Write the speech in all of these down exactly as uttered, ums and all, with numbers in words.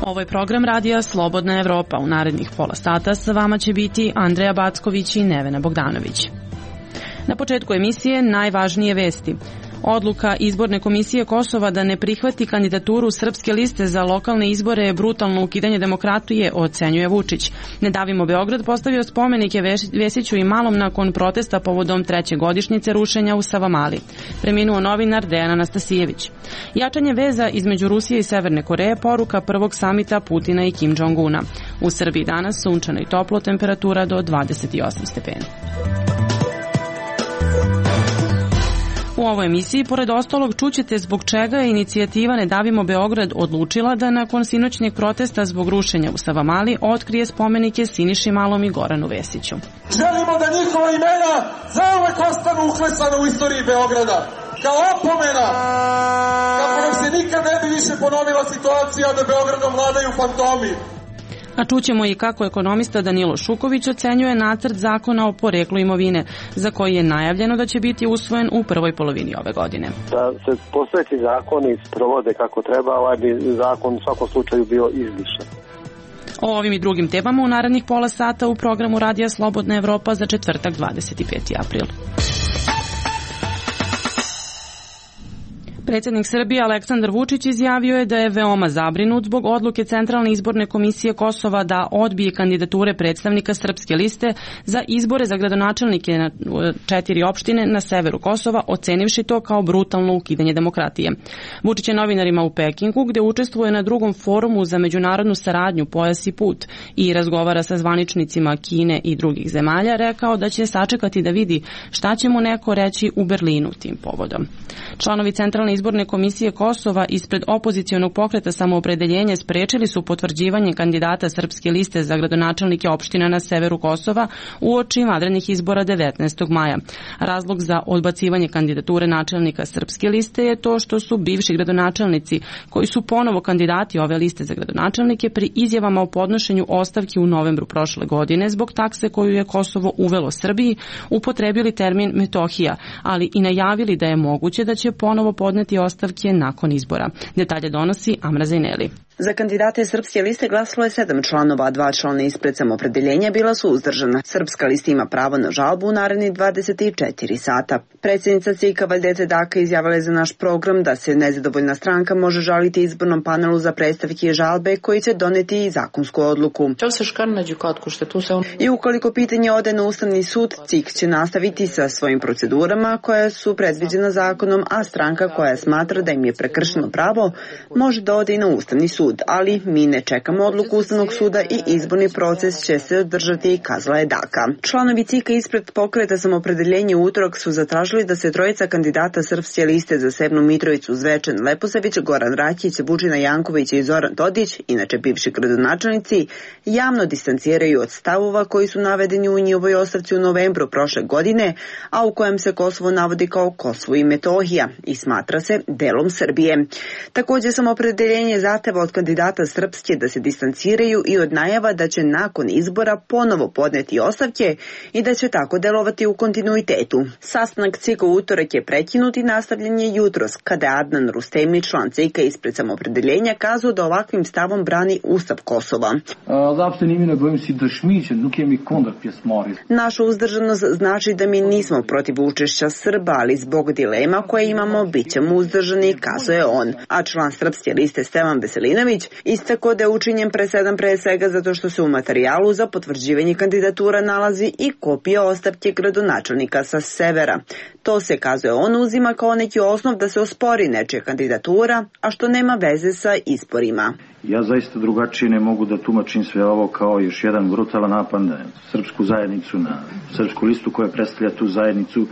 Ovo je program radija Slobodna Evropa. U narednih pola sata sa vama će biti Andreja Backović i Nevena Bogdanović. Na početku emisije najvažnije vesti. Odluka Izborne komisije Kosova da ne prihvati kandidaturu Srpske liste za lokalne izbore je brutalno ukidanje demokratije, ocenjuje Vučić. Ne davimo Beograd postavio spomenike Vesiću i Malom nakon protesta povodom treće godišnjice rušenja u Savamali. Preminuo novinar Dejan Anastasijević. Jačanje veza između Rusije i Severne Koreje poruka prvog samita Putina i Kim Jong-una. U Srbiji danas sunčano i toplo, temperatura do dvadeset osam stepeni. U ovoj emisiji, pored ostalog, čućete zbog čega je inicijativa Ne davimo Beograd odlučila da nakon sinoćnjeg protesta zbog rušenja u Savamali otkrije spomenike Siniši Malom i Goranu Vesiću. Želimo da njihova imena zauvek ostanu uklesana u istoriji Beograda, kao opomena, kako nam se nikad ne bi više ponovila situacija da Beogradom vladaju fantomi. A čućemo i kako ekonomista Danilo Šuković ocenjuje nacrt zakona o poreklu imovine, za koji je najavljeno da će biti usvojen u prvoj polovini ove godine. Da se postojeći zakoni sprovode kako treba, ovaj bi zakon u svakom slučaju bio izlišan. O ovim i drugim temama u narednih pola sata u programu Radija Slobodna Evropa za četvrtak dvadeset peti april. Predsjednik Srbije Aleksandar Vučić izjavio je da je veoma zabrinut zbog odluke Centralne izborne komisije Kosova da odbije kandidature predstavnika Srpske liste za izbore za gradonačelnike na četiri opštine na severu Kosova, ocenivši to kao brutalno ukidanje demokratije. Vučić je novinarima u Pekingu, gde učestvuje na drugom forumu za međunarodnu saradnju Pojas i put i razgovara sa zvaničnicima Kine i drugih zemalja, rekao da će sačekati da vidi šta će mu neko reći u Berlinu tim povodom. Članovi Centralne izborne komisije Kosova ispred opozicionog pokreta Samoopredeljenje sprečili su potvrđivanje kandidata Srpske liste za gradonačelnike opština na severu Kosova uoči vanrednih izbora devetnaestog maja. Razlog za odbacivanje kandidature načelnika Srpske liste je to što su bivši gradonačelnici, koji su ponovo kandidati ove liste za gradonačelnike, pri izjavama o podnošenju ostavki u novembru prošle godine zbog takse koju je Kosovo uvelo Srbiji, upotrebili termin Metohija, ali i najavili da je moguće da će ponovo podneti ostavke nakon izbora. Detalje donosi Amra Zajneli. Za kandidate Srpske liste glasalo je sedam članova, a dva člana ispred Samoopredeljenja bila su uzdržana. Srpska lista ima pravo na žalbu u narednih dvadeset četiri sata. Predsjednica C I K-a Valjdeca Daka izjavila je za naš program da se nezadovoljna stranka može žaliti izbornom panelu za predstavke i žalbe koji će doneti i zakonsku odluku. I ukoliko pitanje ode na Ustavni sud, C I K će nastaviti sa svojim procedurama koje su predviđena zakonom, a stranka koja smatra da im je prekršeno pravo može da ode i na Ustavni sud. Ali mi ne čekamo odluku Ustavnog suda i izborni proces će se održati, kazala je Daka. Članovi C I K-a ispred pokreta Samoopredeljenje u utorak su zatražili da se trojica kandidata Srpske liste za Sevnu Mitrovicu, Zvečan Leposavić, Goran Rakić, Vučina Janković i Zoran Todić, inače bivši gradonačelnici, javno distanciraju od stavova koji su navedeni u njihovoj ostavci u novembru prošle godine, a u kojem se Kosovo navodi kao Kosovo i Metohija i smatra se delom Srbije. Također Samoopredeljenje zahteva od kandidata Srpske da se distanciraju i od najava da će nakon izbora ponovo podneti ostavke i da će tako delovati u kontinuitetu. Sastanak C I K-a u utorak je prekinut i nastavljen je jutros, kada je Adnan Rustemi, član C I K-a ispred Samoopredeljenja, kazao da ovakvim stavom brani Ustav Kosova. Naša uzdržanost znači da mi nismo protiv učešća Srba, ali zbog dilema koje imamo bit ćemo uzdržani, kazao je on. A član Srpske liste Stevan Veselinović istako da je učinjen presedan pre svega zato što se u materijalu za potvrđivanje kandidatura nalazi i kopija ostavke gradonačelnika sa severa. To se, kazuje on, uzima kao neki osnov da se ospori nečija kandidatura, a što nema veze sa izborima. Ja zaista drugačije ne mogu da tumačim sve ovo kao još jedan brutalan napad na srpsku zajednicu, na srpsku listu koja predstavlja tu zajednicu.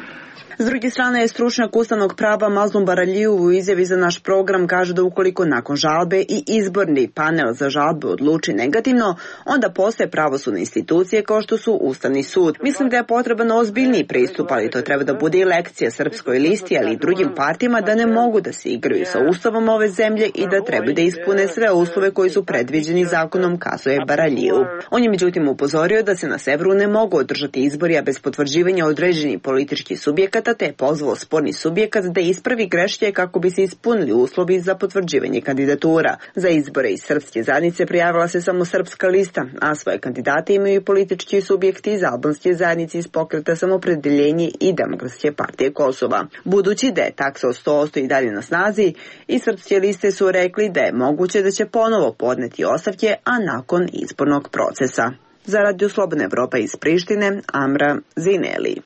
S druge strane je stručnjak ustavnog prava Mazlum Baraliju u izjavi za naš program kaže da ukoliko nakon žalbe i izborni panel za žalbe odluči negativno, onda postoje pravosudne institucije kao što su Ustavni sud. Mislim da je potreban ozbiljniji pristup, ali to treba da bude i lekcija Srpskoj listi, ali i drugim partijama da ne mogu da se igraju sa ustavom ove zemlje i da trebaju da ispune sve uslove koji su predviđeni zakonom, kazuje Baraliju. On je međutim upozorio da se na severu ne mogu održati izbori, a bez potvrđivanja određenih političkih subjekata subjekata te je pozvao sporni subjekat da ispravi greške kako bi se ispunili uslovi za potvrđivanje kandidatura. Za izbore iz srpske zajednice prijavila se samo Srpska lista, a svoje kandidate imaju i politički subjekti iz albanske zajednice iz Pokreta Samopredeljenje i Demokratske partije Kosova. Budući da je taksa od sto posto i dalje na snazi, i srpske liste su rekli da je moguće da će ponovo podneti ostavke, a nakon izbornog procesa. Za Radio Slobodna Evropa iz Prištine, Amra Zineli.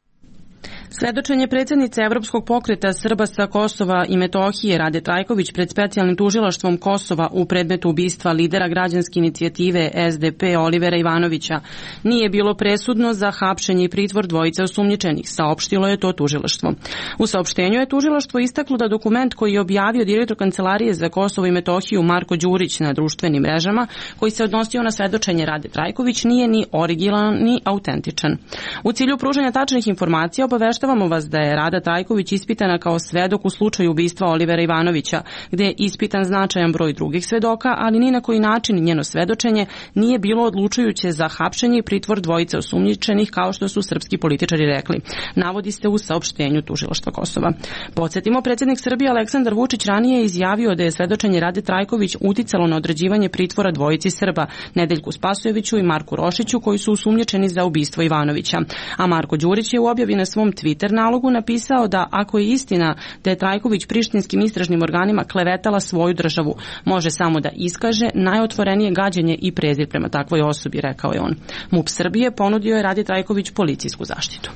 Svedočenje predsjednice Evropskog pokreta Srba sa Kosova i Metohije Rade Trajković pred specijalnim tužilaštvom Kosova u predmetu ubistva lidera građanske inicijative S D P Olivera Ivanovića nije bilo presudno za hapšenje i pritvor dvojice osumnjičenih, saopštilo je to tužilaštvo. U saopštenju je tužilaštvo istaklo da dokument koji je objavio direktor Kancelarije za Kosovo i Metohiju Marko Đurić na društvenim mrežama, koji se odnosio na svedočenje Rade Trajković, nije ni originalan ni autentičan. U cilju pružanja tačnih informacija obavešta Obavještavamo vas da je Rada Trajković ispitana kao svedok u slučaju ubistva Olivera Ivanovića, gde je ispitan značajan broj drugih svedoka, ali ni na koji način njeno svedočenje nije bilo odlučujuće za hapšenje i pritvor dvojice osumnjičenih, kao što su srpski političari rekli. Navodi se u saopštenju tužilaštva Kosova. Podsjetimo, predsjednik Srbije Aleksandar Vučić ranije je izjavio da je svedočenje Rade Trajković uticalo na određivanje pritvora dvojici Srba, Nedeljku Spasojeviću i Marku Rošiću, koji su osumnjičeni za ubistvo Ivanovića. A Marko Đurić je u objavi na svom Twitter nalogu napisao da ako je istina da je Trajković prištinskim istražnim organima klevetala svoju državu, može samo da iskaže najotvorenije gađenje i prezir prema takvoj osobi, rekao je on. MUP Srbije ponudio je Radi Trajković policijsku zaštitu.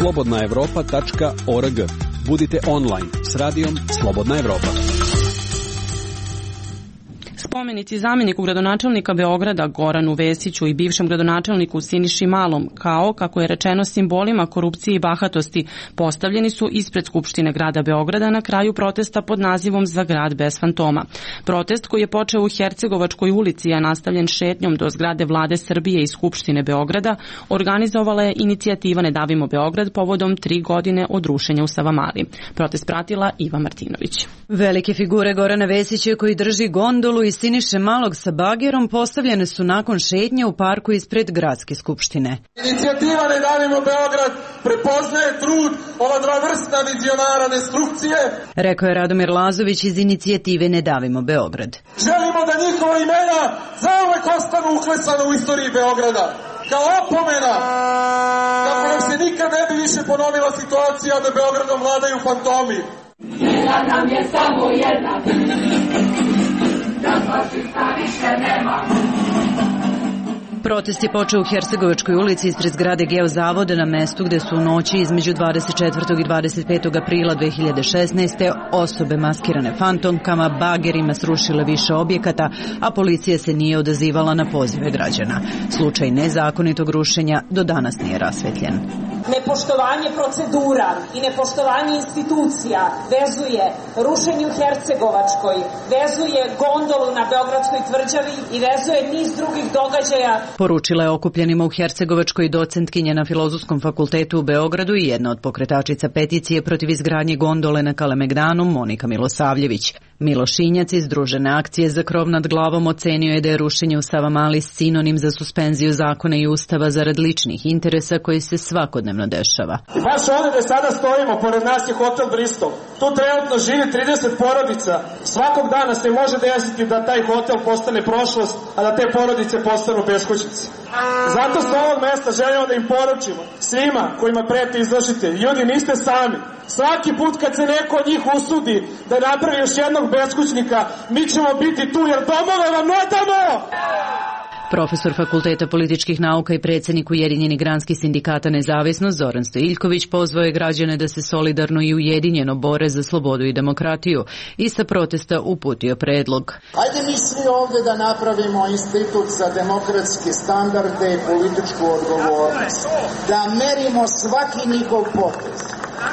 slobodna evropa tačka org. Budite online s radijom Slobodna Evropa. Spomenici zamjeniku gradonačelnika Beograda Goranu Vesiću i bivšem gradonačelniku Siniši Malom, kao, kako je rečeno, simbolima korupcije i bahatosti, postavljeni su ispred Skupštine grada Beograda na kraju protesta pod nazivom Za grad bez fantoma. Protest koji je počeo u Hercegovačkoj ulici, a nastavljen šetnjom do zgrade Vlade Srbije i Skupštine Beograda, organizovala je inicijativa Ne davimo Beograd povodom tri godine od rušenja u Savamali. Protest pratila Iva Martinović. Velike figure Gorana Vesića koji drži gondolu i Siniše Malog sa bagerom postavljene su nakon šetnje u parku ispred Gradske skupštine. Inicijativa Ne davimo Beograd prepoznaje trud ova dva vrsta vizionara destrukcije, rekao je Radomir Lazović iz inicijative Ne davimo Beograd. Želimo da njihova imena zauvek ostanu uklesana u istoriji Beograda, kao opomena, kako nam se nikad ne bi više ponovila situacija da Beogradom vladaju fantomi. Jedna nam je samo jedna, da fašista više nema. Protest je počeo u Hercegovačkoj ulici ispred zgrade Geozavoda na mestu gde su u noći između dvadeset četvrtog i dvadeset petog aprila dve hiljade šesnaeste. osobe maskirane fantomkama bagerima srušile više objekata, a policija se nije odazivala na pozive građana. Slučaj nezakonitog rušenja do danas nije rasvetljen. Nepoštovanje procedura i nepoštovanje institucija vezuje rušenje u Hercegovačkoj, vezuje gondolu na Beogradskoj tvrđavi i vezuje niz drugih događaja. Poručila je okupljenima u Hercegovačkoj docentkinja na Filozofskom fakultetu u Beogradu i jedna od pokretačica peticije protiv izgradnje gondole na Kalemegdanu, Monika Milosavljević. Milošinjac iz Združene akcije za krov nad glavom ocenio je da je rušenje u Savamali sinonim za suspenziju zakona i ustava zarad ličnih interesa koji se svakodnevno dešava. I baš ovdje gde sada stojimo, pored nas je hotel Bristol. Tu trenutno živi trideset porodica. Svakog dana se može desiti da taj hotel postane prošlost, a da te porodice postanu beskućnici. Zato s ovog mesta želimo da im poručimo, svima kojima preti izvršitelj, ljudi niste sami. Svaki put kad se neko od njih usudi da napravi još jednog beskućnika, mi ćemo biti tu jer domove vam ne damo! Profesor Fakulteta političkih nauka i predsjednik Ujedinjenih granskih sindikata Nezavisnost Zoran Stojiljković pozvao je građane da se solidarno i ujedinjeno bore za slobodu i demokratiju i sa protesta uputio predlog. Ajde mi svi ovdje da napravimo institut za demokratske standarde i političku odgovornost. Da merimo svaki njihov potez.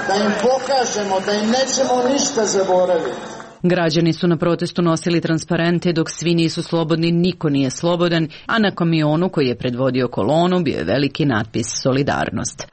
Da im pokažemo da im nećemo ništa zaboraviti. Građani su na protestu nosili transparente dok svi nisu slobodni, niko nije slobodan, a na kamionu koji je predvodio kolonu bio je veliki natpis Solidarnost.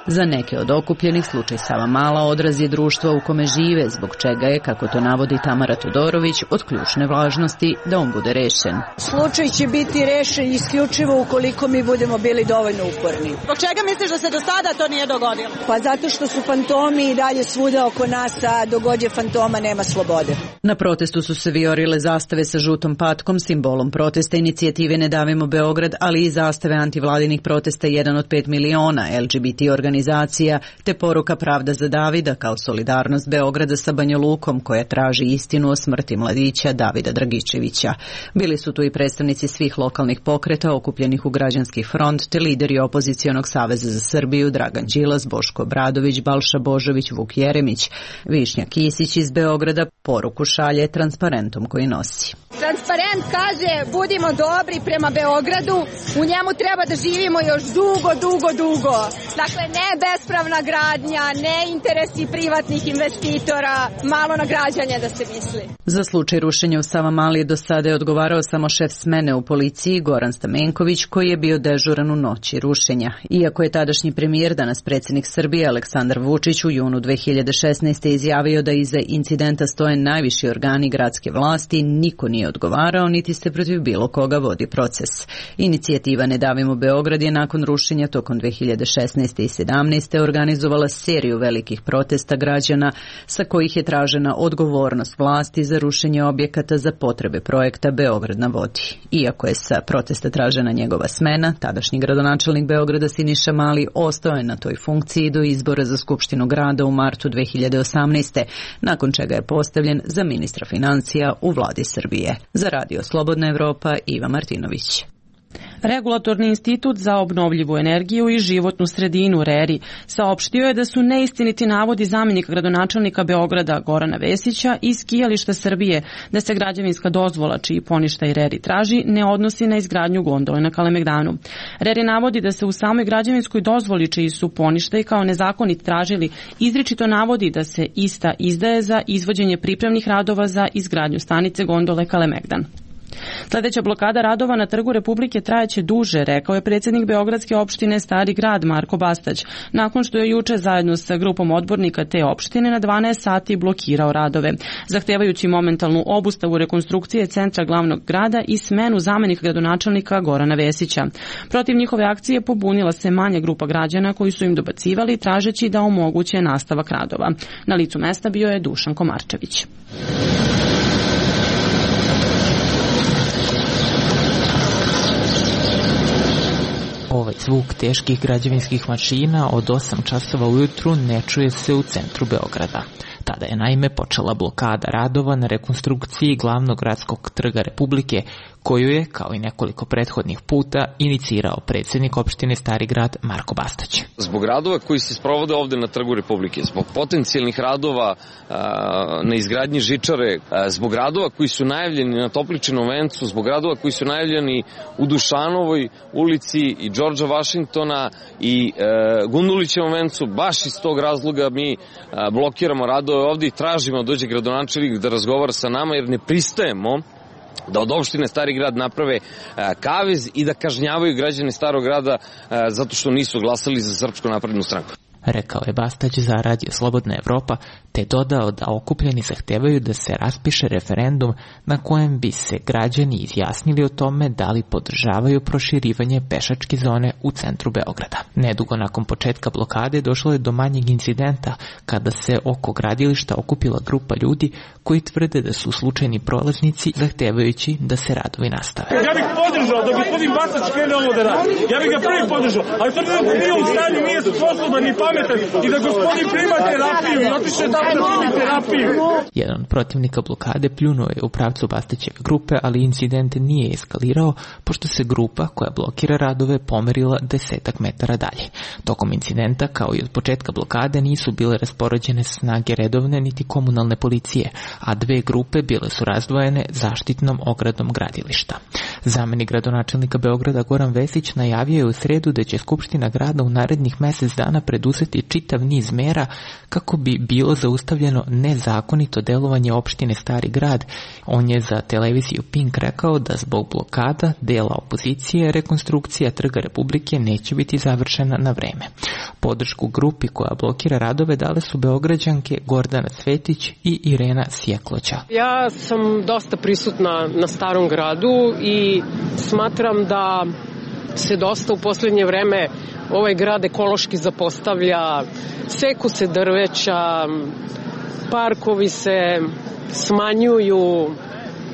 Za neke od okupljenih slučaj Savamala odraz je društva u kome žive, zbog čega je, kako to navodi Tamara Todorović, od ključne važnosti da on bude rešen. Slučaj će biti rešen isključivo ukoliko mi budemo bili dovoljno uporni. Zbog čega misliš da se do sada to nije dogodilo? Pa zato što su fantomi i dalje svuda oko nas, a dok god je fantoma nema slobode. Na protestu su se vijorile zastave sa žutom patkom, simbolom protesta inicijative Ne davimo Beograd, ali i zastave antivladinih protesta jedan od pet miliona L G B T organizacija, te poruka Pravda za Davida kao solidarnost Beograda sa Banja Lukom koja traži istinu o smrti mladića Davida Dragičevića. Bili su tu i predstavnici svih lokalnih pokreta okupljenih u Građanski front te lideri opozicionog saveza za Srbiju Dragan Đilas, Boško Obradović, Balša Božović, Vuk Jeremić. Višnja Kisić iz Beograda poruku šalje transparentom koji nosi. Transparent kaže budimo dobri prema Beogradu, u njemu treba da živimo još dugo, dugo, dugo. Dakle, ne bespravna gradnja, ne interesi privatnih investitora, malo nagrađanje da se misli. Za slučaj rušenja u Savamali do sada je odgovarao samo šef smene u policiji Goran Stamenković, koji je bio dežuran u noći rušenja. Iako je tadašnji premijer, danas predsjednik Srbije Aleksandar Vučić u junu dve hiljade šesnaeste. izjavio da iza incidenta stoje najviši organi gradske vlasti, niko nije odgovarao, niti se protiv bilo koga vodi proces. Inicijativa Ne davimo Beograd je nakon rušenja tokom dve hiljade šesnaeste. i sedamnaeste. organizovala seriju velikih protesta građana sa kojih je tražena odgovornost vlasti za rušenje objekata za potrebe projekta Beograd na vodi. Iako je sa protesta tražena njegova smena, tadašnji gradonačelnik Beograda Siniša Mali ostao je na toj funkciji do izbora za Skupštinu grada u martu dve hiljade osamnaeste. nakon čega je postavljen za ministra financija u vladi Srbije. Za Radio Slobodna Evropa, Iva Martinović. Regulatorni institut za obnovljivu energiju i životnu sredinu RERI saopštio je da su neistiniti navodi zamjenika gradonačelnika Beograda Gorana Vesića iz Skijališta Srbije da se građevinska dozvola čiji poništaj RERI traži ne odnosi na izgradnju gondole na Kalemegdanu. RERI navodi da se u samoj građevinskoj dozvoli čiji su poništaj kao nezakonit tražili izričito navodi da se ista izdaje za izvođenje pripremnih radova za izgradnju stanice gondole Kalemegdan. Sledeća blokada radova na Trgu Republike trajaće duže, rekao je predsjednik Beogradske opštine Stari grad Marko Bastać, nakon što je juče zajedno sa grupom odbornika te opštine na dvanaest sati blokirao radove, zahtevajući momentalnu obustavu rekonstrukcije centra glavnog grada i smenu zamenika gradonačelnika Gorana Vesića. Protiv njihove akcije pobunila se manja grupa građana koji su im dobacivali tražeći da omoguće nastavak radova. Na licu mesta bio je Dušan Komarčević. Ovaj zvuk teških građevinskih mašina od osam časova ujutru ne čuje se u centru Beograda. Tada je naime počela blokada radova na rekonstrukciji glavnog gradskog trga Republike, koju je, kao i nekoliko prethodnih puta, inicirao predsjednik opštine Stari grad Marko Bastać. Zbog radova koji se sprovode ovde na Trgu Republike, zbog potencijalnih radova a, na izgradnji žičare, a, zbog radova koji su najavljeni na Topličinom vencu, zbog radova koji su najavljeni u Dušanovoj ulici i Đorđa Vašingtona i e, Gundulićevom vencu, baš iz tog razloga mi a, blokiramo radove ovde i tražimo da dođe gradonačelnik da razgovara sa nama, jer ne pristajemo da od opštine Stari grad naprave kavez i da kažnjavaju građane Starog grada zato što nisu glasali za Srpsku naprednu stranku. Rekao je Bastać za Radio Slobodna Evropa, te dodao da okupljeni zahtevaju da se raspiše referendum na kojem bi se građani izjasnili o tome da li podržavaju proširivanje pešačke zone u centru Beograda. Nedugo nakon početka blokade došlo je do manjeg incidenta kada se oko gradilišta okupila grupa ljudi koji tvrde da su slučajni prolaznici zahtevajući da se radovi nastave. Ja bih podržao da gospodin Bastać krene ovo da radi. Ja bih ga prvi podržao, ali to nije u stanju, nije sposoban ni pametan i da gospodin prima terapiju, otiše tamo da primi terapiju. Jedan od protivnika blokade pljunuo je u pravcu Bastaćeve grupe, ali incident nije eskalirao, pošto se grupa koja blokira radove pomerila desetak metara dalje. Tokom incidenta, kao i od početka blokade, nisu bile raspoređene snage redovne niti komunalne policije, a dve grupe bile su razdvojene zaštitnom ogradom gradilišta. Zamenik gradonačelnika Beograda Goran Vesić najavio je u sredu da će Skupština grada u narednih mesec dana preduzeti čitav niz mera kako bi bilo zaustavljeno nezakonito delovanje opštine Stari grad. On je za televiziju Pink rekao da zbog blokada dela opozicije rekonstrukcija Trga Republike neće biti završena na vreme. Podršku grupi koja blokira radove dale su Beograđanke Gordana Cvetić i Irena Sjekloća. Ja sam dosta prisutna na Starom gradu i smatram da se dosta u posljednje vreme ovaj grad ekološki zapostavlja, seku se drveća, parkovi se smanjuju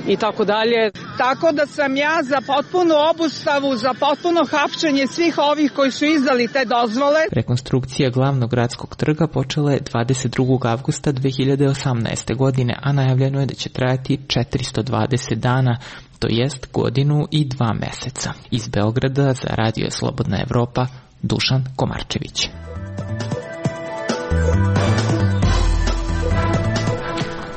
i tako dalje. Tako da sam ja za potpunu obustavu, za potpuno hapšenje svih ovih koji su izdali te dozvole. Rekonstrukcija glavnog gradskog trga počela je dvadeset drugog avgusta dve hiljade osamnaeste. godine, a najavljeno je da će trajati četiristo dvadeset dana, to jest godinu i dva meseca. Iz Beograda za Radio Slobodna Evropa, Dušan Komarčević.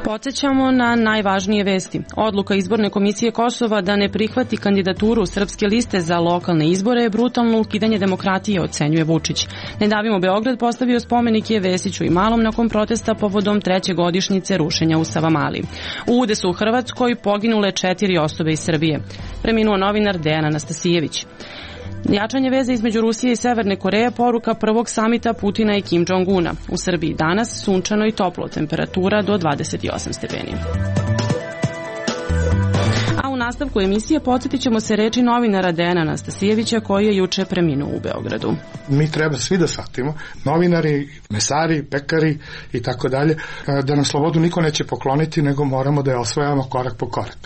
Podsećamo na najvažnije vesti. Odluka Izborne komisije Kosova da ne prihvati kandidaturu Srpske liste za lokalne izbore je brutalno ukidanje demokratije, ocenjuje Vučić. Ne davimo Beograd postavio spomenik je Vesiću i Malom nakon protesta povodom treće godišnjice rušenja u Savamali. U udesu u Hrvatskoj poginule četiri osobe iz Srbije. Preminuo novinar Dejan Anastasijević. Jačanje veze između Rusije i Severne Koreje poruka prvog samita Putina i Kim Jong-una. U Srbiji danas sunčano i toplo, temperatura do dvadeset osam stepeni. A u nastavku emisije podsjetit ćemo se reči novinara Dejana Anastasijevića koji je juče preminuo u Beogradu. Mi treba svi da shvatimo, novinari, mesari, pekari i tako dalje, da nam slobodu niko neće pokloniti, nego moramo da je osvajamo korak po korak.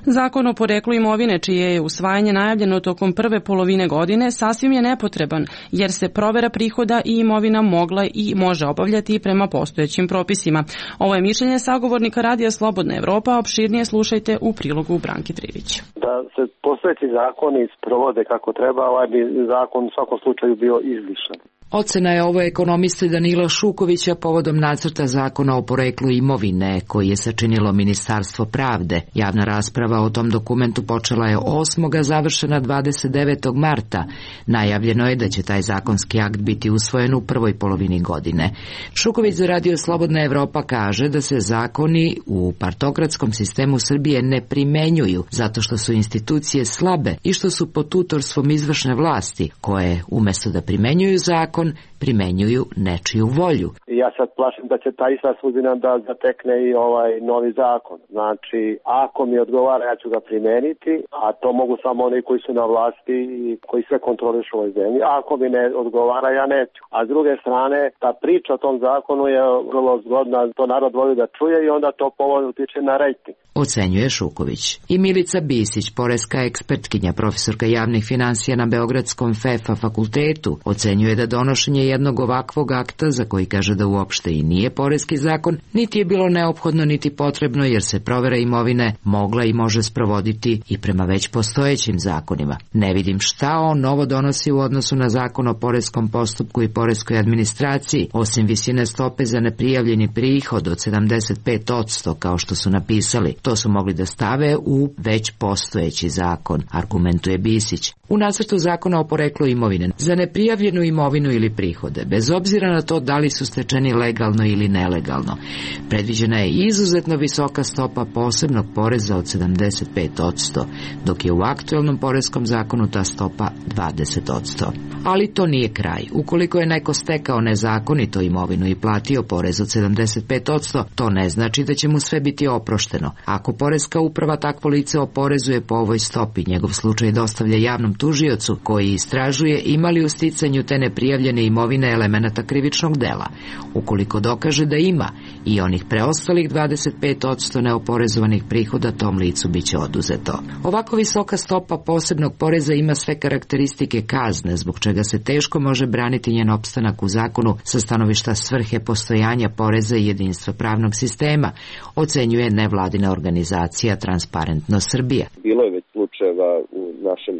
Zakon o poreklu imovine, čije je usvajanje najavljeno tokom prve polovine godine, sasvim je nepotreban, jer se provera prihoda i imovina mogla i može obavljati prema postojećim propisima. Ovo je mišljenje sagovornika Radija Slobodna Evropa, opširnije slušajte u prilogu Branki Trivić. Da se postojeći zakoni sprovode kako treba, ovaj bi zakon u svakom slučaju bio izlišan. Ocena je ovo ekonomiste Danila Šukovića povodom nacrta zakona o poreklu imovine koji je sačinilo Ministarstvo pravde. Javna rasprava o tom dokumentu počela je osmog završena dvadeset devetog marta. Najavljeno je da će taj zakonski akt biti usvojen u prvoj polovini godine. Šuković za Radio Slobodna Evropa kaže da se zakoni u partokratskom sistemu Srbije ne primenjuju zato što su institucije slabe i što su pod tutorstvom izvršne vlasti koje umesto da primenjuju zakon primenjuju nečiju volju. Ja sad plašim da će ta ista sudbina da zatekne i ovaj novi zakon. Znači, ako mi odgovara, ja ću ga primeniti, a to mogu samo oni koji su na vlasti i koji sve kontrolišu u ovoj zemlji. A ako mi ne odgovara, ja neću. A s druge strane, ta priča o tom zakonu je vrlo zgodna, to narod voli da čuje i onda to povoljno utiče na rejting. Ocenjuje Šuković. I Milica Bisić, poreska ekspertkinja, profesorka javnih finansija na Beogradskom F E F A fakultetu, ocenjuje da donošenje jednog ovakvog akta, za koji kaže da uopšte i nije poreski zakon, niti je bilo neophodno niti potrebno, jer se provera imovine mogla i može sprovoditi i prema već postojećim zakonima. Ne vidim šta on novo donosi u odnosu na zakon o poreskom postupku i poreskoj administraciji, osim visine stope za neprijavljeni prihod od sedamdeset pet posto, kao što su napisali. To su mogli da stave u već postojeći zakon, argumentuje Bisić. U nacrtu zakona o poreklu imovine za neprijavljenu imovinu ili prihode, bez obzira na to da li su stečeni legalno ili nelegalno, predviđena je izuzetno visoka stopa posebnog poreza od sedamdeset pet posto, dok je u aktuelnom poreskom zakonu ta stopa dvadeset posto. Ali to nije kraj. Ukoliko je neko stekao nezakonito imovinu i platio porez od sedamdeset pet posto, to ne znači da će mu sve biti oprošteno. Ako poreska uprava takvo lice oporezuje po ovoj stopi, njegov slučaj dostavlja javnom tužiocu koji istražuje ima li u sticanju te neprijavljene imovine elemenata krivičnog dela. Ukoliko dokaže da ima i onih preostalih dvadeset pet posto neoporezovanih prihoda, tom licu biće oduzeto. Ovako visoka stopa posebnog poreza ima sve karakteristike kazne, zbog čega se teško može braniti njen opstanak u zakonu sa stanovišta svrhe postojanja poreza i jedinstva pravnog sistema, ocenjuje nevladina organizacija Transparentno Srbija. Bilo je već slučajeva u našem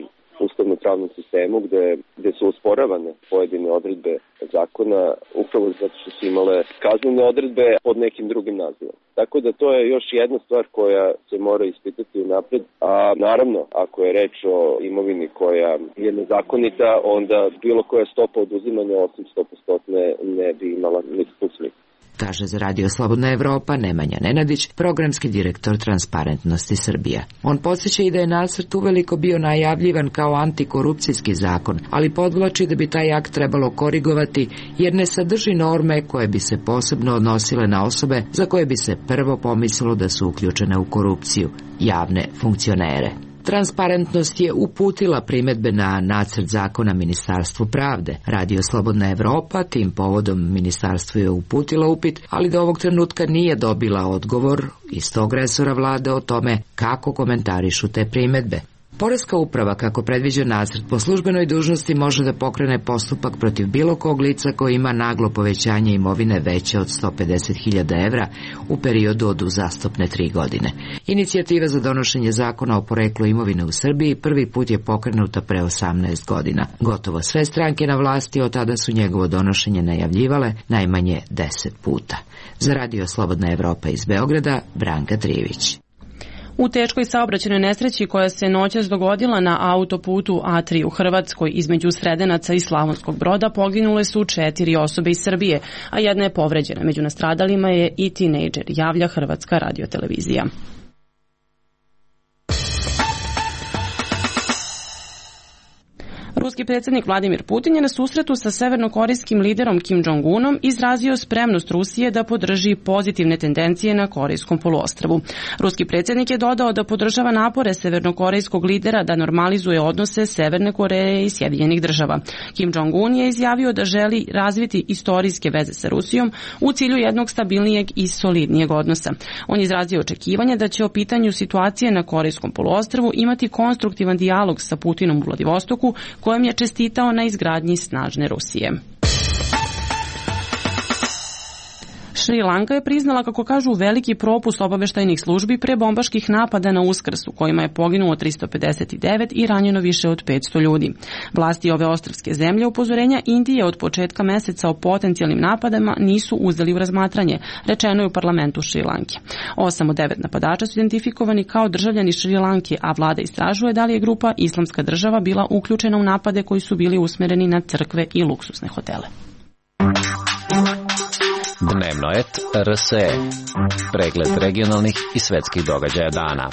ustavno-pravnom sistemu gde, gde su usporavane pojedine odredbe zakona upravo zato što su imale kaznene odredbe pod nekim drugim nazivom. Tako da to je još jedna stvar koja se mora ispitati unapred, a naravno ako je reč o imovini koja je nezakonita, onda bilo koja stopa oduzimanja osim sto posto ne bi imala nikakvu smisla. Kaže za Radio Slobodna Evropa Nemanja Nenadić, programski direktor Transparentnosti Srbija. On podsjeća i da je nacrt uveliko bio najavljivan kao antikorupcijski zakon, ali podvlači da bi taj akt trebalo korigovati jer ne sadrži norme koje bi se posebno odnosile na osobe za koje bi se prvo pomislilo da su uključene u korupciju, javne funkcionere. Transparentnost je uputila primedbe na nacrt zakona Ministarstvu pravde. Radio Slobodna Evropa tim povodom ministarstvu je uputila upit, ali do ovog trenutka nije dobila odgovor iz tog resora vlade o tome kako komentarišu te primedbe. Poreska uprava, kako predviđa nacrt, po službenoj dužnosti može da pokrene postupak protiv bilo kog lica koji ima naglo povećanje imovine veće od sto pedeset hiljada evra u periodu od uzastopne tri godine. Inicijativa za donošenje zakona o poreklu imovine u Srbiji prvi put je pokrenuta pre osamnaest godina. Gotovo sve stranke na vlasti od tada su njegovo donošenje najavljivale najmanje deset puta. Za Radio Slobodna Evropa iz Beograda, Branka Trijević. U teškoj saobraćajnoj nesreći koja se noćas dogodila na autoputu A tri u Hrvatskoj između Sredenaca i Slavonskog Broda poginule su četiri osobe iz Srbije, a jedna je povređena. Među nastradalima je i tinejdžer, javlja Hrvatska radiotelevizija. Ruski predsjednik Vladimir Putin je na susretu sa severnokorejskim liderom Kim Jong-unom izrazio spremnost Rusije da podrži pozitivne tendencije na Korejskom poluostrvu. Ruski predsjednik je dodao da podržava napore severnokorejskog lidera da normalizuje odnose Severne Koreje i Sjedinjenih država. Kim Jong-un je izjavio da želi razviti istorijske veze sa Rusijom u cilju jednog stabilnijeg i solidnijeg odnosa. On je izrazio očekivanje da će o pitanju situacije na Korejskom poluostrvu imati konstruktivan dijalog sa Putinom u Vladivostoku, kojem je čestitao na izgradnji snažne Rusije. Šri Lanka je priznala, kako kažu, veliki propust obaveštajnih službi pre bombaških napada na Uskrs, u kojima je poginulo tristo pedeset devet i ranjeno više od petsto ljudi. Vlasti ove ostrvske zemlje upozorenja Indije od početka meseca o potencijalnim napadama nisu uzeli u razmatranje, rečeno je u parlamentu Šri Lanke. Osam od devet napadača su identifikovani kao državljani Šri Lanke, a vlada istražuje da li je grupa Islamska država bila uključena u napade koji su bili usmereni na crkve i luksuzne hotele. Dnevno et R S E. Pregled regionalnih i svetskih događaja dana.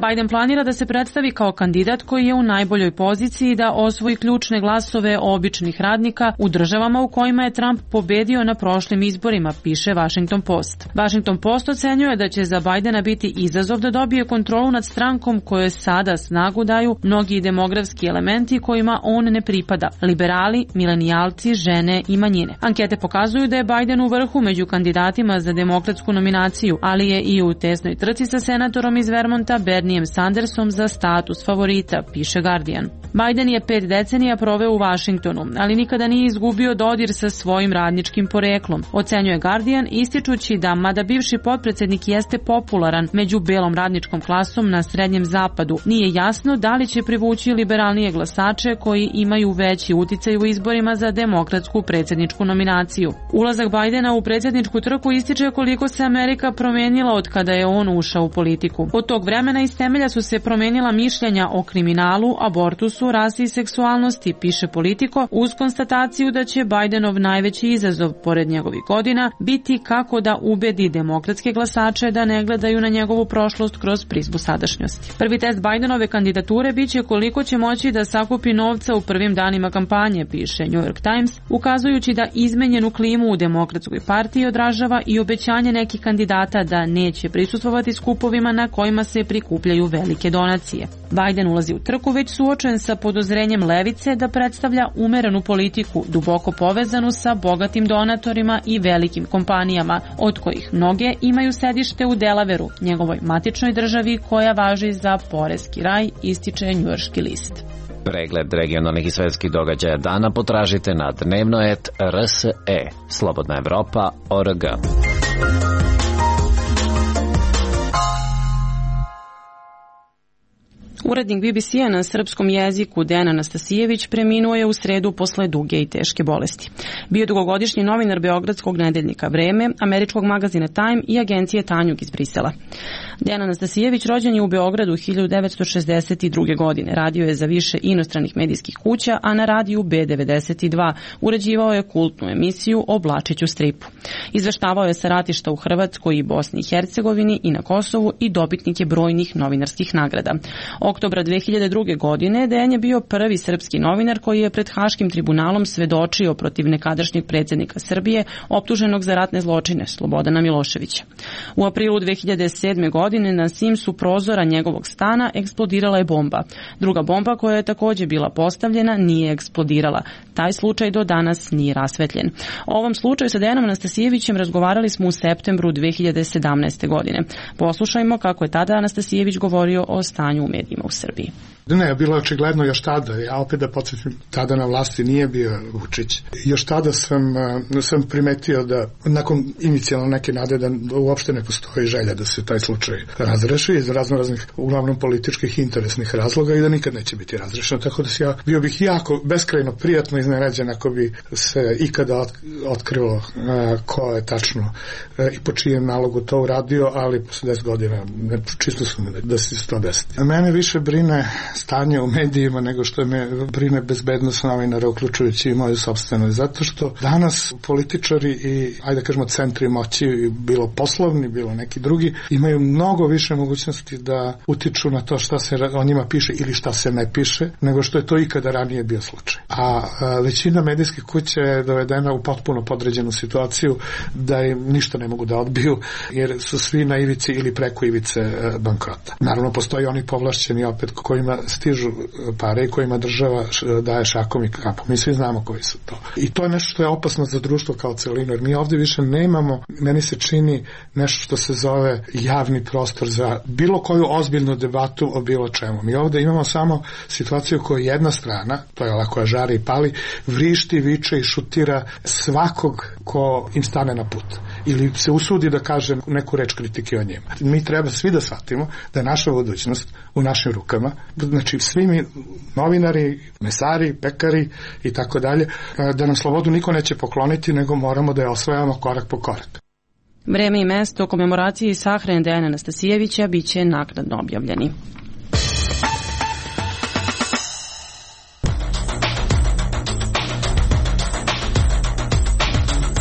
Biden planira da se predstavi kao kandidat koji je u najboljoj poziciji da osvoji ključne glasove običnih radnika u državama u kojima je Trump pobedio na prošlim izborima, piše Washington Post. Washington Post ocenjuje da će za Bidena biti izazov da dobije kontrolu nad strankom kojoj sada snagu daju mnogi demografski elementi kojima on ne pripada, liberali, milenijalci, žene i manjine. Ankete pokazuju da je Biden u vrhu među kandidatima za demokratsku nominaciju, ali je i u tesnoj trci sa senatorom iz Vermonta Bernie Sandersom za status favorita, piše Guardian. Biden je pet decenija proveo u Vašingtonu, ali nikada nije izgubio dodir sa svojim radničkim poreklom, ocenjuje Guardian, ističući da, mada bivši potpredsednik jeste popularan među belom radničkom klasom na Srednjem zapadu, nije jasno da li će privući liberalnije glasače koji imaju veći uticaj u izborima za demokratsku predsjedničku nominaciju. Ulazak Bidena u predsjedničku trku ističe koliko se Amerika promenila od kada je on ušao u politiku. Od tog vremena iz temelja su se promenila mišljenja o kriminalu, abortusu, rasi i seksualnosti, piše Politico, uz konstataciju da će Bidenov najveći izazov, pored njegovih godina, biti kako da ubedi demokratske glasače da ne gledaju na njegovu prošlost kroz prizmu sadašnjosti. Prvi test Bidenove kandidature biće koliko će moći da sakupi novca u prvim danima kampanje, piše New York Times, ukazujući da izmenjenu klimu u demokratskoj partiji odražava i obećanje nekih kandidata da neće prisustvovati skupovima na kojima se prikupljaju velike donacije. Biden ulazi u trku već suočen sa podozrenjem levice da predstavlja umerenu politiku, duboko povezanu sa bogatim donatorima i velikim kompanijama, od kojih mnoge imaju sedište u Delaveru, njegovoj matičnoj državi koja važi za poreski raj, ističe njujorški list. Pregled regionalnih i svetskih događaja dana potražite na dnevno et R S E. Slobodna Evropa, O R G. Urednik B B C-a na srpskom jeziku Dejan Anastasijević preminuo je u sredu posle duge i teške bolesti. Bio je dugogodišnji novinar beogradskog nedeljnika Vreme, američkog magazina Time i agencije Tanjug iz Brisela. Dejan Anastasijević rođen je u Beogradu hiljadu devetsto šezdeset druge. godine. Radio je za više inostranih medijskih kuća, a na radiju B devedeset dva uređivao je kultnu emisiju o Blačiću stripu. Izveštavao je sa ratišta u Hrvatskoj i Bosni i Hercegovini i na Kosovu i dobitnik je brojnih novinarskih nagrada. Oktobra dve hiljade druge. godine Dejan je bio prvi srpski novinar koji je pred Haškim tribunalom svedočio protiv nekadašnjeg predsjednika Srbije optuženog za ratne zločine Slobodana Miloševića. U aprilu dve hiljade sedme. godine na simsu prozora njegovog stana eksplodirala je bomba. Druga bomba koja je također bila postavljena nije eksplodirala. Taj slučaj do danas nije rasvetljen. O ovom slučaju sa Dejanom Anastasijevićem razgovarali smo u septembru dve hiljade sedamnaeste. godine. Poslušajmo kako je tada Anastasijević govorio o stanju u medijima u Srbiji. Ne, bilo je očigledno još tada. Ja opet da podsjetim, tada na vlasti nije bio Vučić. Još tada sam, sam primetio da nakon inicijalno neke nade da uopšte ne postoji želja da se taj slučaj razreši iz razno raznih, uglavnom političkih i interesnih razloga i da nikad neće biti razrešeno. Tako da se ja bio bih jako beskrajno prijatno iznenađen ako bi se ikada otkrilo ko je tačno i po čijem nalogu to uradio, ali posle deset godina čisto su mi da se to desiti. Mene više brine stanje u medijima nego što me brine bezbednost novinara, uključujući i moju sopstvenu. Zato što danas političari i, ajde kažemo, centri moći, bilo poslovni, bilo neki drugi, imaju mnogo više mogućnosti da utiču na to šta se o njima piše ili šta se ne piše, nego što je to ikada ranije bio slučaj. A, a većina medijskih kuća je dovedena u potpuno podređenu situaciju da im ništa ne mogu da odbiju, jer su svi na ivici ili preko ivice bankrota. Naravno, postoji oni povlašćeni opet kojima stižu pare i kojima država daje šakom i kapom. Mi svi znamo koji su to. I to je nešto što je opasno za društvo kao celinu, jer mi ovdje više nemamo, meni se čini nešto što se zove javni prostor za bilo koju ozbiljnu debatu o bilo čemu. Mi ovdje imamo samo situaciju koju jedna strana, to je ova koja žari i pali, vrišti, viče i šutira svakog ko im stane na put. Ili se usudi da kaže neku reč kritike o njima. Mi treba svi da shvatimo da je naša budućnost u našim rukama. Znači, svi mi, novinari, mesari, pekari i tako dalje, da nam slobodu niko neće pokloniti, nego moramo da je osvajamo korak po korak. Vreme i mesto komemoracije i sahrane Dejana Anastasijevića biće naknadno objavljeni.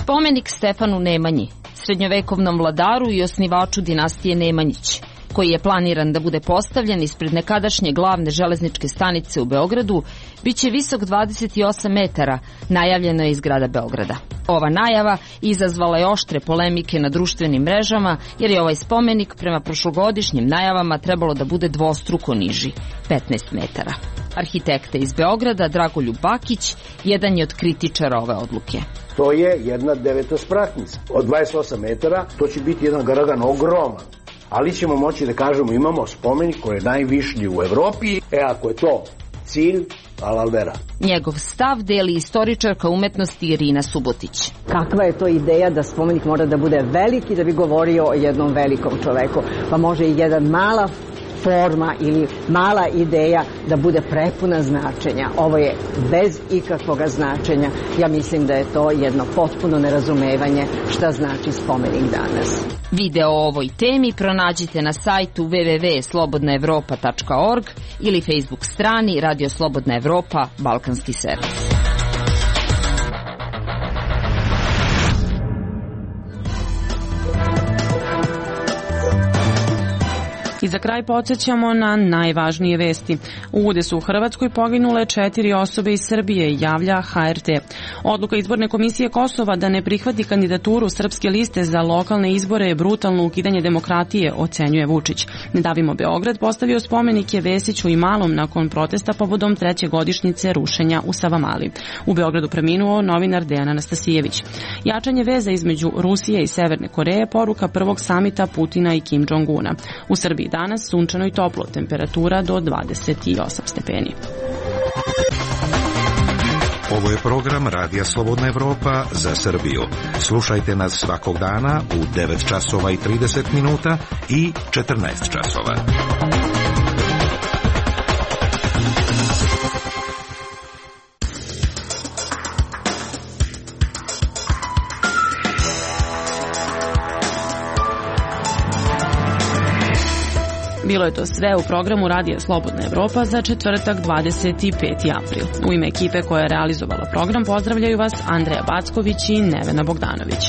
Spomenik Stefanu Nemanji, srednjovekovnom vladaru i osnivaču dinastije Nemanjić, koji je planiran da bude postavljen ispred nekadašnje glavne železničke stanice u Beogradu, biće visok dvadeset osam metara, najavljeno je iz grada Beograda. Ova najava izazvala je oštre polemike na društvenim mrežama, jer je ovaj spomenik prema prošlogodišnjim najavama trebalo da bude dvostruko niži, petnaest metara. Arhitekta iz Beograda, Dragoljub Bakić, jedan je od kritičara ove odluke. To je jedna devetospratnica. Od dvadeset osam metara to će biti jedan garagan ogroman. Ali ćemo moći da kažemo imamo spomenik koji je najvišlji u Evropi. E ako je to cilj, alalvera. Njegov stav deli istoričarka umetnosti Irina Subotić. Kakva je to ideja da spomenik mora da bude veliki da bi govorio o jednom velikom čoveku? Pa može i jedan mala forma ili mala ideja da bude prepuna značenja. Ovo je bez ikakvoga značenja. Ja mislim da je to jedno potpuno nerazumevanje šta znači spomenik danas. Video o ovoj temi pronađite na sajtu w w w tačka slobodna evropa tačka org ili Facebook strani Radio Slobodna Evropa Balkanski servis. I za kraj podsjećamo na najvažnije vesti. U udesu u Hrvatskoj poginule četiri osobe iz Srbije, javlja H R T. Odluka izborne komisije Kosova da ne prihvati kandidaturu srpske liste za lokalne izbore je brutalno ukidanje demokratije, ocenjuje Vučić. Ne davimo Beograd postavio spomenike Vesiću i Malom nakon protesta povodom treće godišnjice rušenja u Savamali. U Beogradu preminuo novinar Dejan Anastasijević. Jačanje veza između Rusije i Severne Koreje poruka prvog samita Putina i Kim Jong-una. U Srbiji danas sunčano i toplo, temperatura do dvadeset osam stepeni. Ovo je program Radija Slobodna Evropa za Srbiju. Slušajte nas svakog dana u devet časova i trideset minuta i četrnaest časova. Bilo je to sve u programu Radija Slobodna Evropa za četvrtak dvadeset peti april. U ime ekipe koja je realizovala program pozdravljaju vas Andreja Backović i Nevena Bogdanović.